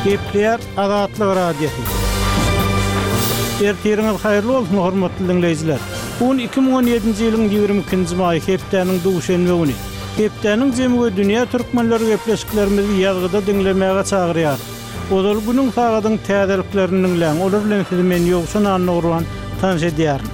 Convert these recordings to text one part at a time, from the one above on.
Gepleýär Azatlyk Radiosy. Ertiriňiz haýyrly bolsun, hormatly diňleýjiler! Bu gün 2017-nji ýylyň 22-nji maýy, hepdäniň duşenbe güni. Hepdäniň jemi we dünýä türkmenleri gepleşiklerimizi ýazgyda diňlemäge çagyrýarys. Ozal günüň sagadyň täzeliklerini diňläň, olar bilen sizi men Ýowşan Annagurban tanyş edýärin.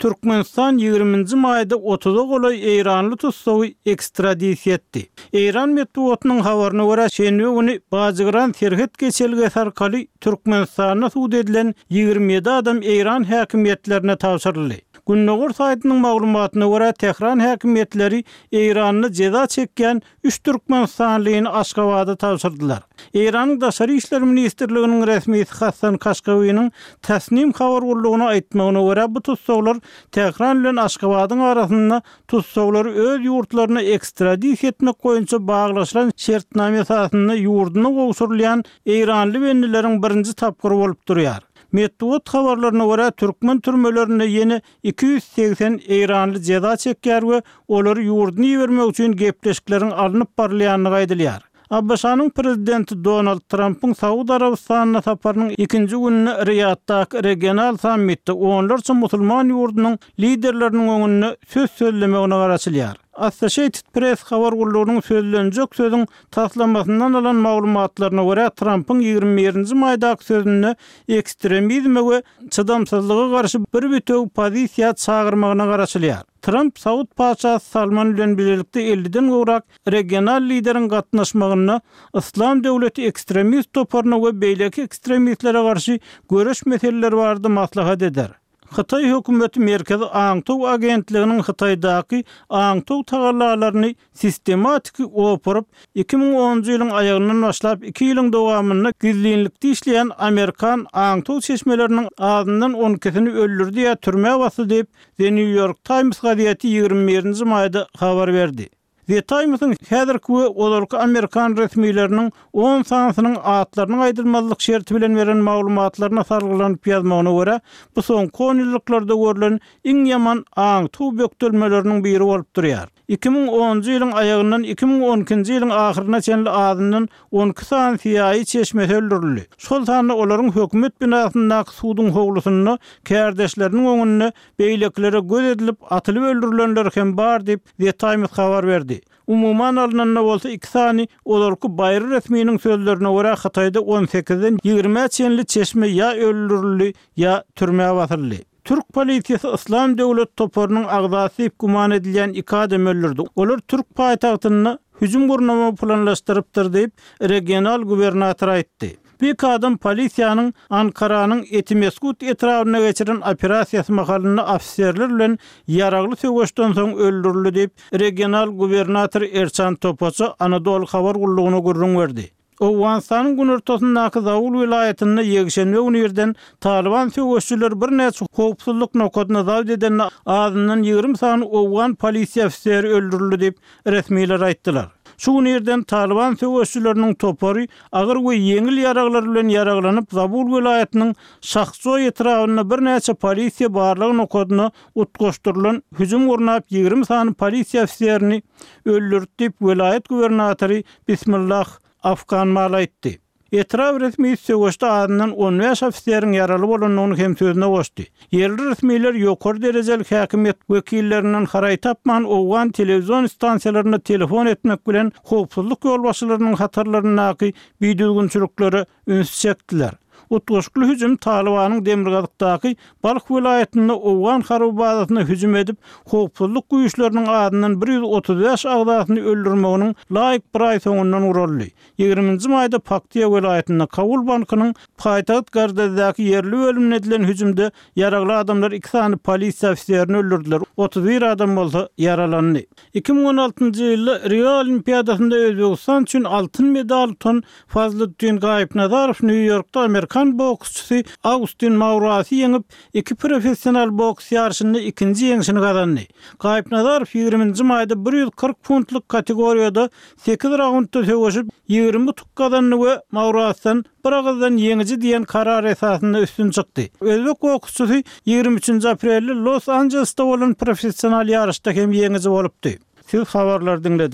Türkmenistan ýigriminji maýda otuza golaý eýranly tussagy ekstradisiýa etdi. Eýran metbugatynyň habaryna görä, şenbe güni Bajygyran serhet geçelgesi arkaly Türkmenistanda sud edilen 27 adam eýran häkimiýetlerine tabşyryldy. Gündogar saýtynyň maglumatyna görä, Tähran häkimiýetleri Eýranda jeza çekýän üç türkmenistanlyny Aşgabada tabşyrdylar. Eýranyň Daşary işler ministrliginiň resmisi Hassan Kaşkawiniň Tasnim habar gullugyna aýtmagyna görä, bu tussaglar Tähran bilen Aşgabadyň arasynda Tussaglary öz ýurtlaryna ekstradisiýa etmek boýunça baglaşylan şertnama esasynda ýurduna gowşurylýan eýranly bendileriň birinji tapgyry bolup durýar. Metbugat habarlaryna görä, türkmen türmelerinde ýene 280 eýranly jeza çekýär we olary ýurduna ibermek üçin gepleşikleriň alnyp barylýandygy aýdylýar. ABŞ-nyň Prezidenti Donald Trampyň Saud Arabystanyna saparynyň ikinji gününde Riýaddaky regional sammitde onlarça musulman ýurdunyň liderleriniň öňünde söz sözlemegine garaşylýar. Associated Press habar gullugynyň sözlenjek sözüň taslamasyndan alan maglumatlaryna görä, Trampyň 21 nji maýdaky sözünde ekstremizme we çydamsyzlyga garşy bir bitewi pozisiýa çagyrmagyna garaşylýar. Tramp saud patyşasy Salman bilen bilelikde elliden gowrak regional lideriň gatnaşmagynda Yslam döwleti ekstremist toparyna we beýleki ekstremistlere garşy göreş meseleleri barada maslahat eder. Hytaý hökümeti Merkezi aňtaw agentliginiň Hytaýdaky aňtaw tagallalaryny sistematiki opuryp, 2010-njy ýylyň aýagyndan başlap iki ýylyň dowamynda gizlinlikde işleýän amerikan aňtaw çeşmeleriniň azyndan on ikisini öldürdi ýa türmä basdy diýip, The New York Times gazeti 21-nji maýda habar berdi. The Times-iň häzirki we ozalky amerikan resmileriniň on sanysynyň atlarynyň aýdylmazlyk şerti bilen beren maglumatlaryna salgylanyp ýazmagyna görä, bu soňky onýyllyklarda görlen iň ýaman aňtaw bökdelmeleriniň biri bolup durýar. 2010-njy ýylyň aýagyndan 2012-nji ýylyň ahyryna çenli azyndan 12 sany CIA çeşmesi öldürildi. Şol sanda olaryň hökümet binasyndaky suduň howlusynda kärdeşleriniň öňünde beýlekilere göz edilip atylyp öldürilenleri hem bar diýip, The Times habar berdi. Umuman alnanda bolsa iki sany ozalky baýry resminiň sözlerine görä Hytaýda on sekizden ýigrimä çenli çeşme ýa öldürildi, ýa türmä basyldy. Türk polisiýasy Yslam döwlet toparynyň agzasy diýip güman edilýän iki adamy öldürdi. Olar türk paýtagtynda hüjüm gurnamagy planlaşdyrypdyr diýip, regional gubernator aýtdy. Bu iki adam polisiýanyň Ankaranyň Etimesgut etrabynda geçiren operasiýasy mahalynda ofiserler bilen ýaragly söweşden soň öldürildi diýip, regional gubernator Erçan Topaça Anadolu habar gullugyna gürrüň berdi. Owganystanyň günortasyndaky Zabul welaýatynda ýekşenbe güni irden Talyban söweşijileri birnäçe howpsuzlyk nokadyny zabt edende azyndan 20 sany owgan polisiýa ofiseri öldürildi diýip, resmiler aýtdylar. Şu gün irden Talyban söweşijileriniň topary agyr we ýeňil ýaraglar bilen ýaraglanyp Zabul welaýatynyň Şahjoý etrabynda birnäçe polisiýa barlag nokadyna utgaşdyrylan hüjüm gurnap 20 sany polisiýa ofiserini öldürdi diýip, welaýat gubernatory Bismillah Afganmal aýtdy. Etrap resmisi söweşde azyndan 15 ofiseriň ýaraly bolandygyny hem sözüne goşdy. Ýerli resmiler ýokary derejeli häkimiýet wekillerinden haraý tapman owgan telewizion stansiýalaryna telefon etmek bilen howpsuzlyk ýolbaşçylarynyň hatarlaryndaky bidüzgünçiliklere ünsi çekdiler. Utgaşykly hüjüm Talybanyň demirgazykdaky Balh welaýatynda owgan harby bazasyna hüjüm edip, howpsuzlyk güýçleriniň azyndan 135 agzasyny öldürmeginiň laýyk bir aý soňundan guraldy. Ýigriminji maýda Paktiýa welaýatynda Kabul bankynyň paýtagt Gardezdäki ýerli bölümine edilen hüjümde ýaragly adamlar iki sany polisiýa ofiserini öldürdiler, 31 adam bolsa ýaralandy. 2016-njy ýylda Rio Olimpiadasynda Özbegistan üçin altyn medal utan Fazliddin Gaýypnazarow Nýu-Ýorkda amerikan boksçysy Austin Maurasy ýeňip, iki professional boks ýaryşynda ikinji ýeňşini gazandy. Gaýypnazarow ýigriminji maýda 140 funtlyk kategoriýada Sekiz raundda söweşip, 20 utuk gazandy we Maurasdan bir agyzdan ýeňiji diýen karar esasynda üstün çykdy. Özbek boksçusy 23-nji aprelde Los-Anjelesde bolan professional ýaryşda hem ýeňiji bolupdy. Siz habarlary diňlediňiz.